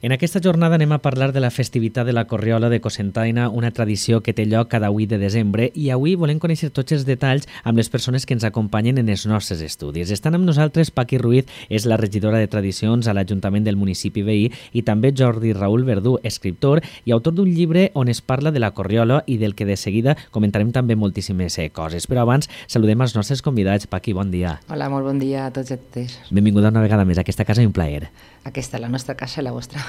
En aquesta jornada anem a parlar de la festivitat de la Corriola de Cocentaina, una tradició que té lloc cada 8 de desembre, i avui volem conèixer tots els detalls amb les persones que ens acompanyen en els nostres estudis. Estan amb nosaltres Paqui Ruiz, és la regidora de Tradicions a l'Ajuntament del municipi veí, i també Jordi Raül Verdú, escriptor i autor d'un llibre on es parla de la Corriola i del que de seguida comentarem també moltíssimes coses. Però abans saludem els nostres convidats. Paqui, bon dia. Hola, molt bon dia a tots i a totes. Benvinguda una vegada més a aquesta casa i un plaer. Aquesta, la nostra casa i la vostra.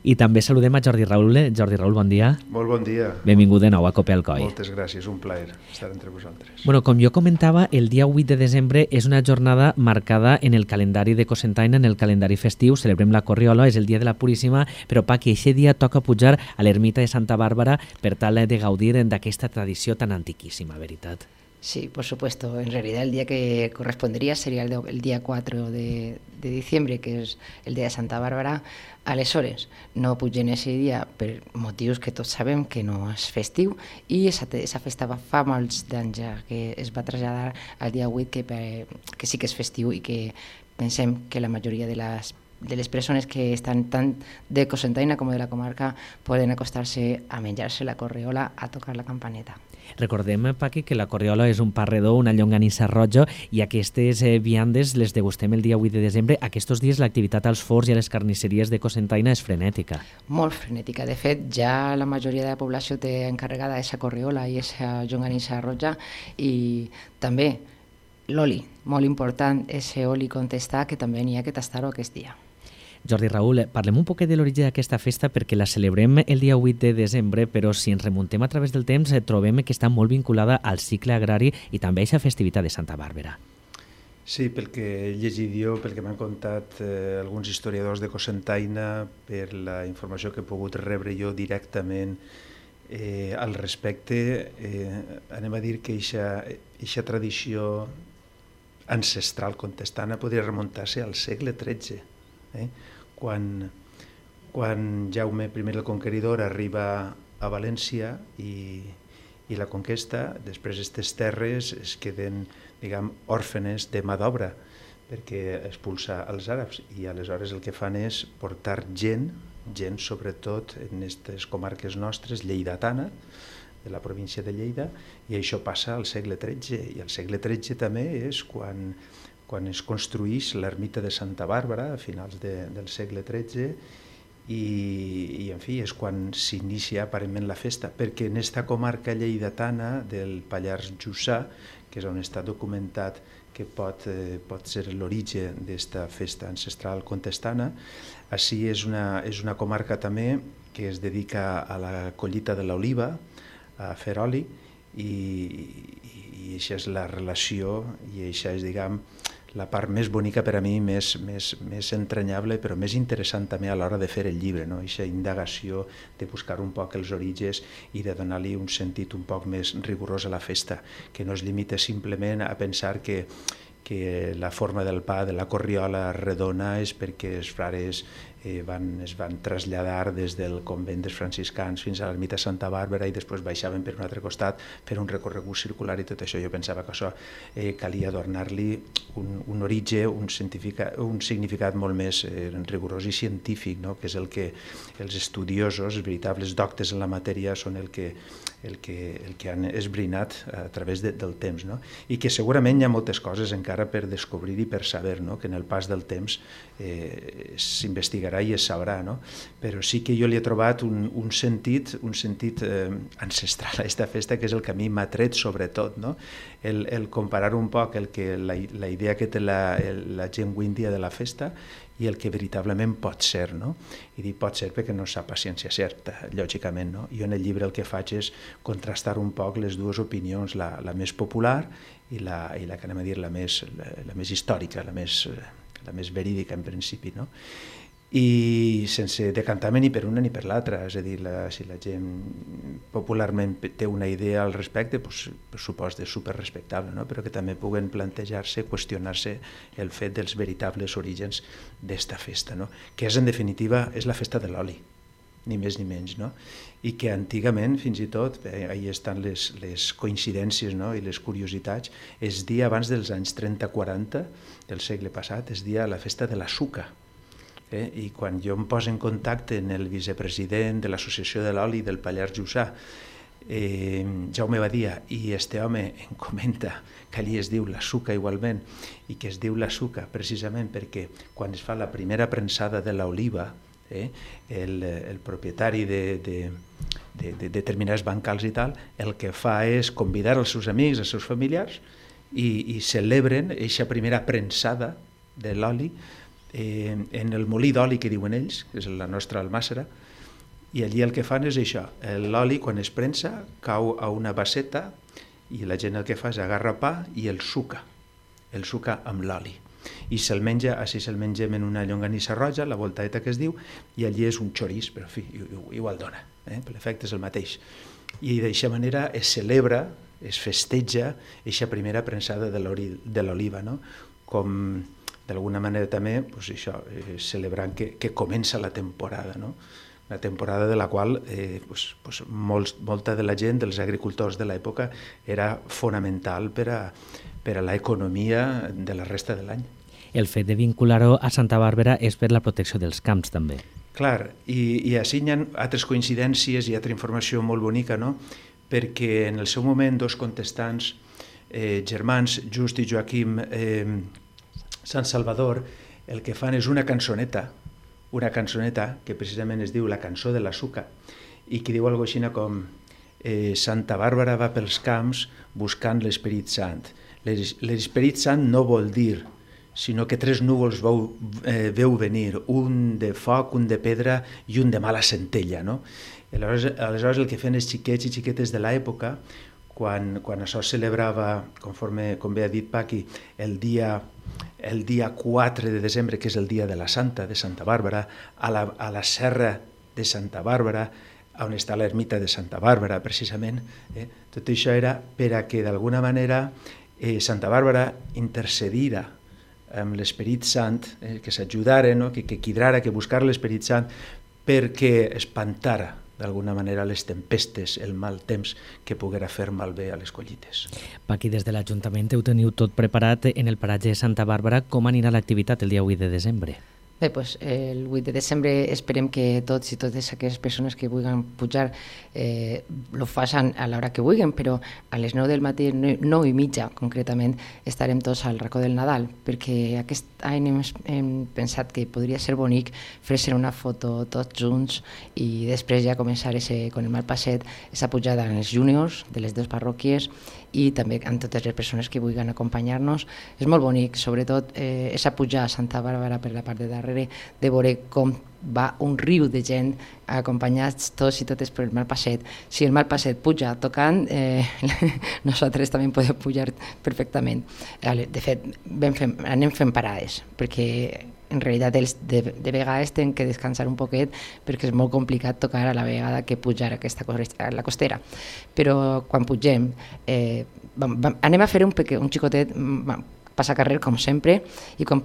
I també saludem a Jordi Raül. Jordi Raül, bon dia. Molt bon dia. Benvingut de nou a Cope Alcoi. Moltes gràcies, un plaer estar entre vosaltres. Bueno, com jo comentava, el dia 8 de desembre és una jornada marcada en el calendari de Cocentaina, en el calendari festiu. Celebrem la Corriola, és el dia de la Puríssima, però Paqui, aquest dia toca pujar a l'ermita de Santa Bàrbara per tal de gaudir d'aquesta tradició tan antiquísima, veritat? Sí, por supuesto. En realidad el día que correspondería sería el día 4 de diciembre, que és el dia de Santa Bàrbara. Aleshores, no pugen ese dia per motius que tots sabem que no és festiu, i esa festa fa molts d'anys ja que es va traslladar al dia 8, que sí que és festiu i que pensem que la majoria de les persones que estan tant de Cocentaina com de la comarca poden acostar-se a menjar-se la corriola, a tocar la campaneta. Recordem, Paqui, que la corriola és un pa redó, una llonganissa roja, i aquestes viandes les degustem el dia 8 de desembre. Aquests dies l'activitat als forns i a les carnisseries de Cocentaina és frenètica. Molt frenètica. De fet, ja la majoria de la població té encarregada aquesta corriola i aquesta llonganissa roja, i també l'oli, molt important, ese oli contestar, que també n'hi ha que tastar-ho aquest dia. Jordi Raül, parlem un poquet de l'origen d'aquesta festa perquè la celebrem el dia 8 de desembre, però si ens remuntem a través del temps trobem que està molt vinculada al cicle agrari i també a aquesta festivitat de Santa Bàrbara. Sí, pel que he llegit jo, pel que m'han contat alguns historiadors de Cocentaina, per la informació que he pogut rebre jo directament al respecte, anem a dir que aquesta tradició ancestral contestana podria remuntar-se al segle XIII. Quan Jaume I el Conqueridor arriba a València i la conquesta, després aquestes terres es queden, diguem, òrfenes de mà d'obra perquè expulsa els àrabs, i aleshores el que fan és portar gent sobretot en aquestes comarques nostres, lleidatana, de la província de Lleida, i això passa al segle XIII, i al segle XIII també és quan es construïx l'ermita de Santa Bàrbara a finals del segle XIII, i en fi, és quan s'inicia aparentment la festa, perquè en aquesta comarca lleidatana del Pallars Jussà, que és on està documentat que pot ser l'origen d'aquesta festa ancestral contestana, així és una comarca també que es dedica a la collita de l'oliva, a fer oli, i això és la relació, i això és, diguem, la part més bonica per a mi, més entranyable, però més interessant també a l'hora de fer el llibre, no? Aquesta indagació de buscar un poc els orígens i de donar-li un sentit un poc més rigorós a la festa, que no es limita simplement a pensar que la forma del pa de la corriola redona és perquè els frares es van traslladar des del convent dels franciscans fins a l'ermita Santa Bàrbara i després baixaven per un altre costat per un recorregut circular i tot això. Jo pensava que això calia donar-li un origen, un significat molt més rigorós i científic, no? Que és el que els estudiosos, els veritables doctes en la matèria, són el que han esbrinat a través del temps, no? I que segurament hi ha moltes coses encara per descobrir i per saber, no? Que en el pas del temps s'investigarà i es sabrà, no? Però sí que jo li he trobat un sentit ancestral a aquesta festa, que és el que a mi m'ha tret sobretot, no? El comparar un poc la idea que té la gent wíndia de la festa i el que veritablement pot ser, no? I dic pot ser perquè no sap a ciència certa, lògicament, no? Jo en el llibre el que faig és contrastar un poc les dues opinions, la més popular i la que anem a dir la més històrica, la més verídica en principi, no? I sense decantar-me ni per una ni per l'altra, és a dir, si la gent popularment té una idea al respecte, doncs, per supost és superrespectable, no? Però que també puguen plantejar-se, qüestionar-se el fet dels veritables orígens d'esta festa, no? Que és, en definitiva, és la festa de l'oli, ni més ni menys, no? I que antigament, fins i tot, ahí estan les coincidències, no? I les curiositats, es dia abans dels anys 30-40 del segle passat, es dia la festa de la suca. I quan jo em poso en contacte amb el vicepresident de l'Associació de l'Oli del Pallars Jussà, Jaume Badia, i este home em comenta que allí es diu la Suca igualment, i que es diu la Suca precisament perquè quan es fa la primera prensada de l'oliva, el propietari de determinats bancals i tal, el que fa és convidar els seus amics, els seus familiars, i celebren aquesta primera prensada de l'oli en el molí d'oli que diuen ells, que és la nostra almàssera, i allí el que fan és això, l'oli quan es prensa cau a una basseta i la gent el que fa és agarra pa i el suca amb l'oli. I se'l menja, així se'l mengem en una llonganissa roja, la voltaeta que es diu, i allí és un xorís, però en fi, igual dona, l'efecte és el mateix. I d'aquesta manera es celebra, es festeja aquesta primera prensada de l'oliva, no? Com d'alguna manera també celebrant que comença la temporada, no? Una temporada de la qual molta de la gent, dels agricultors de l'època, era fonamental per a l'economia de la resta de l'any. El fet de vincular-ho a Santa Bàrbara és per la protecció dels camps, també. Clar, i així hi ha altres coincidències i altra informació molt bonica, no? Perquè en el seu moment dos contestants germans, Just i Joaquim Sant Salvador, el que fan és una cançoneta que precisament es diu La cançó de la Suca, i que diu alguna cosa com Santa Bàrbara va pels camps buscant l'Esperit Sant. L'Esperit Sant no vol dir, sinó que 3 núvols veu venir, un de foc, un de pedra i un de mala centella, no? Aleshores el que feien els xiquets i xiquetes de l'època, quan això es celebrava, com bé ha dit Paqui, el dia 4 de desembre, que és el dia de la Santa, de Santa Bàrbara, a la serra de Santa Bàrbara, on està l'ermita de Santa Bàrbara, precisament. Tot això era per a que, d'alguna manera, Santa Bàrbara intercedira amb l'Esperit Sant, que s'ajudara, que quidrara, que buscara l'Esperit Sant, perquè espantara d'alguna manera les tempestes, el mal temps que poguera fer malbé a les collites. Paqui, des de l'Ajuntament ho teniu tot preparat en el paratge de Santa Bàrbara. Com anirà l'activitat el dia 8 de desembre? Bé, doncs el 8 de desembre esperem que tots i totes aquelles persones que vulguin pujar ho facin a l'hora que vulguin, però a les 9 del matí, 9:30 concretament, estarem tots al racó del Nadal, perquè aquest any hem pensat que podria ser bonic fer-se una foto tots junts i després ja començar con el mal passet, aquesta pujada en els júniors de les dues parròquies i també amb totes les persones que vulguin acompanyar-nos. És molt bonic, sobretot aquesta pujada a Santa Bàrbara per la part de darrere, de veure com va un riu de gent acompanyats tots i totes per el mal passet. Si el mal passet puja tocant, nosaltres també podem pujar perfectament. De fet, anem fent parades, perquè en realitat de vegades tenen que descansar un poquet perquè és molt complicat tocar a la vegada que pujar a la costera. Però quan pugem anem a fer un xicotet passacarrer com sempre i quan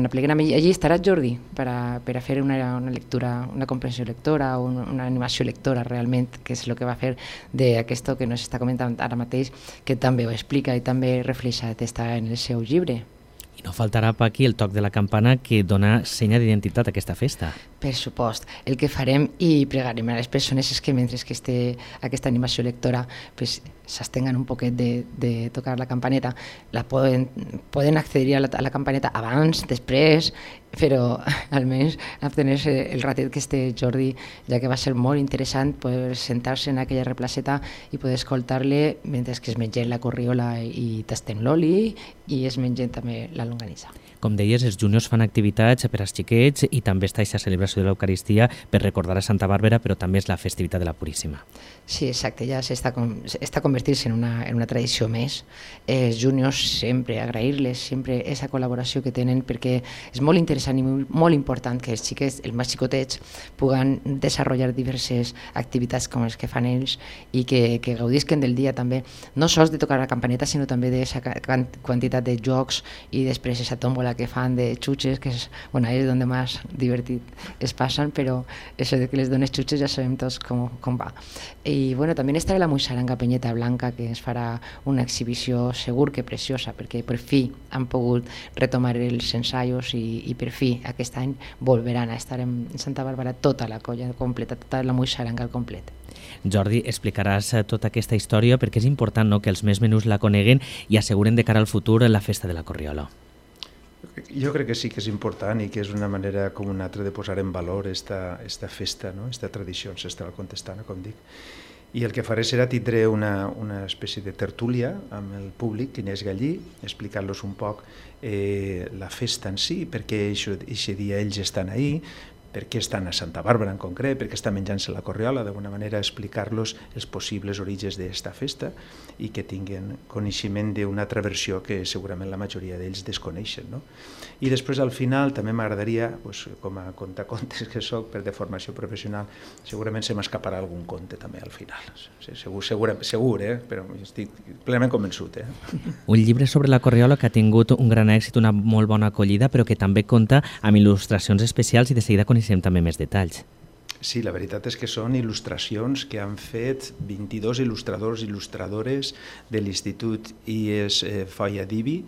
apleguem allí estarà Jordi per a fer una lectura, una comprensió lectora o una animació lectora realment, que és el que va fer d'aquesto que nos està comentant ara mateix, que també ho explica i també reflexa en el seu llibre. I no faltarà, Paqui, el toc de la campana que dona senya d'identitat a aquesta festa. Per supost. El que farem i pregarem a les persones és que mentre que esté aquesta animació lectora s'estenguen un poquet de tocar la campaneta. Poden accedir a la campaneta abans, després, però almenys obtenir-se el ratet que esté Jordi, ja que va ser molt interessant poder sentar-se en aquella replaceta i poder escoltar-le mentre que es mengen la corriola i tasten l'oli i es mengen també la longanissa. Com deies, els juniors fan activitats per als xiquets i també està aquesta celebració de l'Eucaristia per recordar a Santa Bàrbara, però també és la festivitat de la Puríssima. Sí, exacte, ja està convertint-se en una tradició més. Els juniors sempre, agrair-les sempre aquesta col·laboració que tenen, perquè és molt interessant i molt important que els xiquets, els més xicotets, puguen desenvolupar diverses activitats com les que fan ells i que gaudisquen del dia també, no sols de tocar la campaneta, sinó també d'aquesta quantitat de jocs i després aquesta tòmbola que fan de xutxes, que és on més divertit es pasan, pero eso de que les dones xutxes ja sabem tots com va. I bueno, també estarà la Muixaranga Penyeta Blanca, que es farà una exhibició segur que preciosa, perquè per fi han pogut retomar els ensaios i per fi aquest any volveran a estar en Santa Bàrbara tota la colla completa, tota la Muixaranga al complet. Jordi, explicaràs tota aquesta història perquè és important, no?, que els més menuts la coneguen i asseguren de cara al futur la festa de la Corriola. Jo crec que sí que és important i que és una manera com una altra de posar en valor esta festa, no? Esta tradició ancestral contestana, com dic. I el que faré serà tindré una espècie de tertúlia amb el públic que n'és gallí, explicant-los un poc la festa en si, perquè aquest dia ells estan ahí, per què estan a Santa Bàrbara en concret, per què estan menjant-se la Corriola, d'alguna manera explicar-los els possibles orígens d'esta festa i que tinguin coneixement d'una altra versió que segurament la majoria d'ells desconeixen, no? I després al final també m'agradaria, com a contacontes que soc per de formació professional, segurament se m'escaparà algun conte també al final. Segur, però estic plenament convençut. Un llibre sobre la Corriola que ha tingut un gran èxit, una molt bona acollida, però que també compta amb il·lustracions especials i de seguida coneixem també més detalls. Sí, la veritat és que són il·lustracions que han fet 22 il·lustradors i il·lustradores de l'Institut IES Foia d'Ibi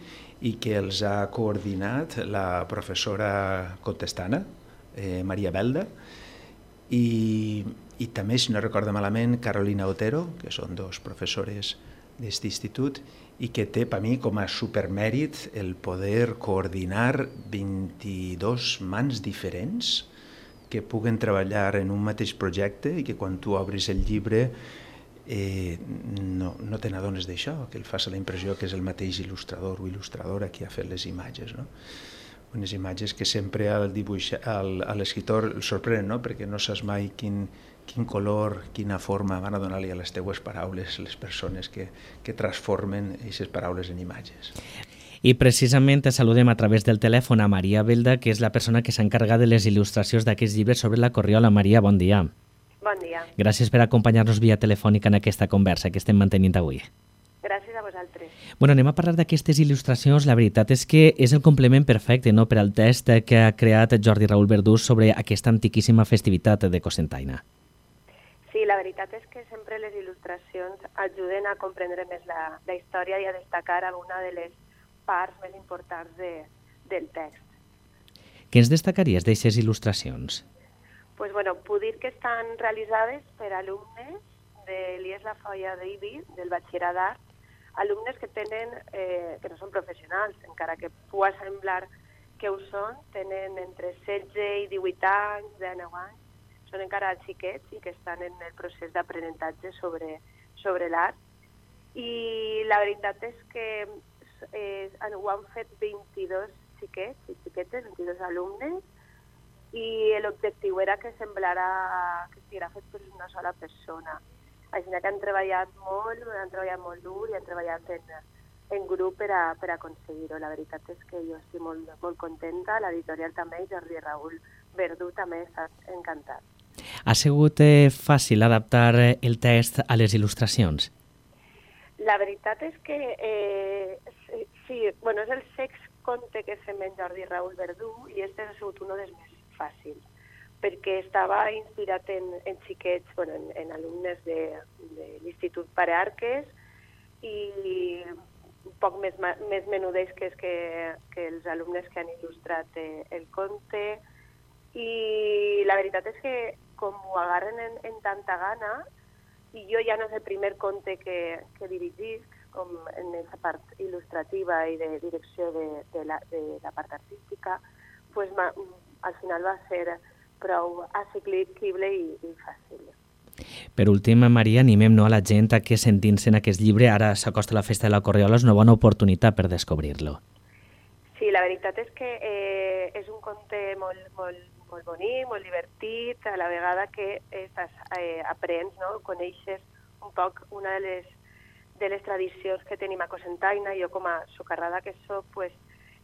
i que els ha coordinat la professora contestana, Maria Belda, i també, si no recordo malament, Carolina Otero, que són dos professores d'aquest institut, i que té per mi com a supermèrit el poder coordinar 22 mans diferents que puguen treballar en un mateix projecte i que quan tu obris el llibre no te n'adones d'això, que el fas la impressió que és el mateix il·lustrador o il·lustradora qui ha fet les imatges, no? Unes imatges que sempre a l'escriptor el sorprenen, no? Perquè no saps mai quin color, quina forma van a donar-li a les teues paraules les persones que transformen aquestes paraules en imatges. I precisament saludem a través del telèfon a Maria Belda, que és la persona que s'encarga de les il·lustracions d'aquests llibres sobre la Corriola. Maria, bon dia. Bon dia. Gràcies per acompanyar-nos via telefònica en aquesta conversa que estem mantenint avui. Gràcies a vosaltres. Bueno, anem a parlar d'aquestes il·lustracions. La veritat és que és el complement perfecte, no?, per al text que ha creat Jordi Raül Verdú sobre aquesta antiquíssima festivitat de Cocentaina. Sí, la veritat és que sempre les il·lustracions ajuden a comprendre més la història i a destacar alguna de les parts més importants del text. Què ens destacaries d'aquestes il·lustracions? Pues bueno, puc dir que estan realitzades per alumnes de l'IES La Foia d'Ibi, del batxillerat d'art, alumnes que tenen, que no són professionals, encara que pugui semblar que ho són, tenen entre 16 i 18 anys, 19 anys, són encara xiquets i que estan en el procés d'aprenentatge sobre l'art. I la veritat és que ho han fet 22 xiquets i xiquetes, 22 alumnes, i l'objectiu era que semblara que estiguera fet per una sola persona. Així que han treballat molt dur i han treballat en grup per a aconseguir-ho. La veritat és que jo estic molt contenta, l'editorial també, i Jordi Raül Verdú també està encantat. Ha sigut fàcil adaptar el text a les il·lustracions? La veritat és que sí, bueno, és el sext conte que fem en Jordi Raül Verdú i este ha sigut un dels més fàcils, perquè estava inspirat en xiquets, bueno, en alumnes de l'Institut Pare Arques i un poc més menudets que els alumnes que han il·lustrat el conte. I la veritat és que com ho agarren en tanta gana, i jo ja no és el primer conte que dirigisc, com en aquesta part il·lustrativa i de direcció de la part artística, pues al final va ser prou assequible i fàcil. Per últim, Maria, animem a la gent a que sentint-se en aquest llibre, ara s'acosta la festa de la Corriola, és una bona oportunitat per descobrir-lo. Sí, la veritat és que és un conte molt bonic, molt divertit, a la vegada que aprens, no? Coneixes un poc una de les tradicions que tenim a Cocentaina. Jo, com a socarrada que soc, pues,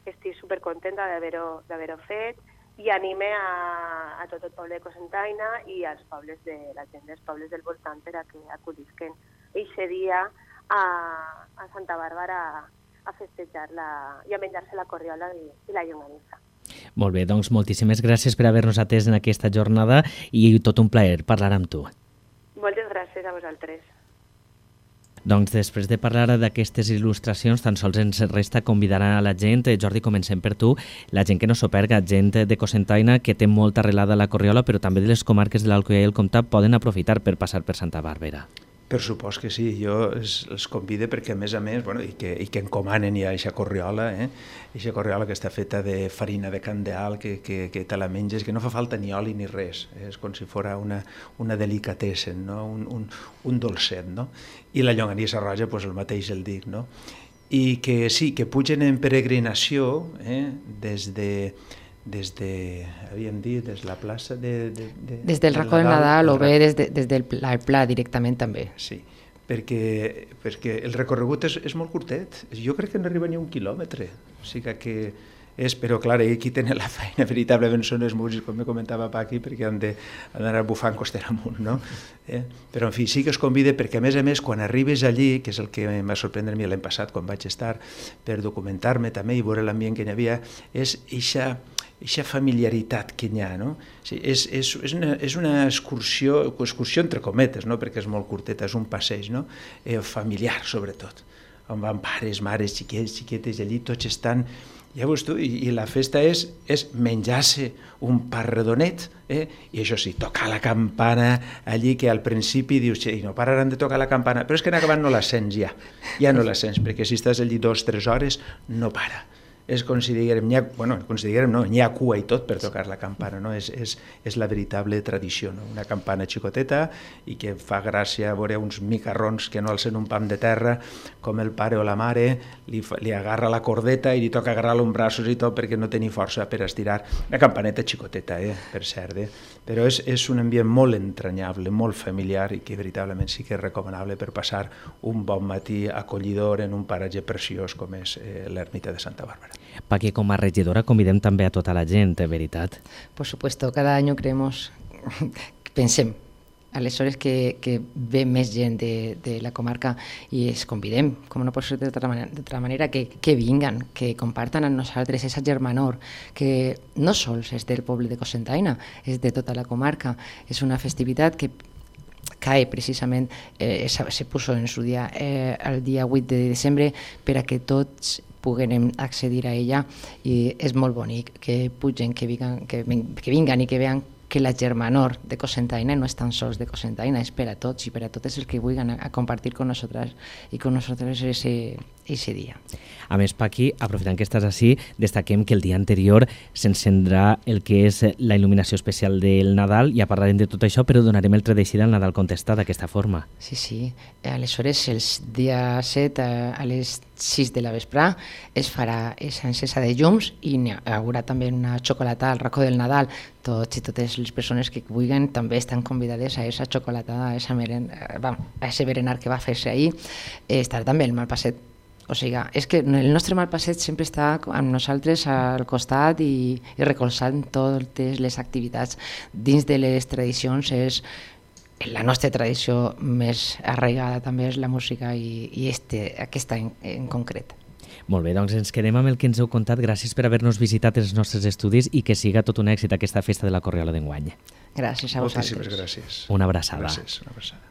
estic supercontenta d'haver-ho fet i anime a tot el poble de Cocentaina i als pobles la gent dels pobles del voltant per a que acudisquen aquest dia a Santa Bàrbara a festejar-la i a menjar-se la Corriola i la llonganissa. Molt bé, doncs moltíssimes gràcies per haver-nos atès en aquesta jornada i tot un plaer parlar amb tu. Moltes gràcies a vosaltres. Doncs després de parlar d'aquestes il·lustracions, tan sols ens resta convidar a la gent. Jordi, comencem per tu. La gent que no s'ho perga, gent de Cocentaina que té molta arrelada a la Corriola, però també de les comarques de l'Alcoià i el Comtat poden aprofitar per passar per Santa Bàrbara. Per supost que sí, jo els convido perquè a més, bueno, i que encomanen ja aquesta corriola, aquesta corriola que està feta de farina de candeal, que te la menges, que no fa falta ni oli ni res, és com si fos una delicatessen, no? un dolcet, no? I la llonganissa roja, doncs el mateix el dic, no? I que sí, que pugen en peregrinació des de, havíem dit, des de la plaça des del racó del Nadal o bé des del pla directament també. Sí, perquè el recorregut és molt curtet, jo crec que no arriba ni un quilòmetre, o sigui que però clar, aquí tenen la feina, veritablement són els músics, com me comentava Paqui, perquè han d'anar bufant costera amunt, no? Però en fi, sí que us convide perquè a més, quan arribes allí, que és el que em va sorprendre a mi l'any passat, quan vaig estar per documentar-me també i veure l'ambient que hi havia, és eixa familiaritat que hi ha, no? És una excursió entre cometes, no? Perquè és molt curteta, és un passeig, no? Familiar, sobretot, on van pares, mares, xiquets, xiquetes, allí tots estan. Ja veus tu, i la festa és menjar-se un pa redonet, i això sí, tocar la campana allí, que al principi dius, i no pararan de tocar la campana, però és que en acabant no la sents ja no la sents, perquè si estàs allí 2-3 hores no para. És com si diguem, n'hi ha cua i tot per tocar la campana, no? És la veritable tradició, no? Una campana xicoteta i que fa gràcia veure uns micarrons que no alcen un pam de terra, com el pare o la mare li agarra la cordeta i li toca agarrar-lo amb braços i tot perquè no tenia força per estirar. Una campaneta xicoteta, per cert, però és un ambient molt entranyable, molt familiar i que veritablement sí que és recomanable per passar un bon matí acollidor en un paratge preciós com és l'ermita de Santa Bàrbara. Paqui, com a regidora convidem també a tota la gent, veritat? Por supuesto, cada año pensem, aleshores que ve més gent de la comarca i es convidem, com no pot ser d'altra manera, que vinguen, que compartan amb nosaltres esa germanor, que no sols és del poble de Cocentaina, és de tota la comarca. És una festivitat que cae precisament, se puso en su dia el dia 8 de desembre per a que tots puguem accedir a ella, i és molt bonic que pugen, que vinguen i que vean que la germanor de Cocentaina no és tan sols de Cocentaina, és per a tots i per a totes els que vulguin a compartir con nosaltres i con nosaltres ese dia. A més, Paqui, aprofitant que estàs així, destaquem que el dia anterior s'encendrà el que és la il·luminació especial del Nadal, ja parlarem de tot això, però donarem el tret d'eixida al Nadal contestat d'aquesta forma. Sí. Aleshores, el dia 7 a les 6 de la vesprà es farà esa encesa de llums i hi haurà també una xocolatada al racó del Nadal. Tots i totes les persones que vulguin també estan convidades a esa xocolatada, a ese berenar que va fer-se ahir. Estarà també el Malpasset. O sigui, és que el nostre Malpasset sempre està amb nosaltres al costat i recolzant totes les activitats. Dins de les tradicions, la nostra tradició més arraigada també és la música i aquesta en concret. Molt bé, doncs ens quedem amb el que ens heu contat. Gràcies per haver-nos visitat els nostres estudis i que siga tot un èxit aquesta festa de la Corriola d'enguany. Gràcies a vosaltres. Moltíssimes gràcies. Una abraçada. Gràcies, una abraçada.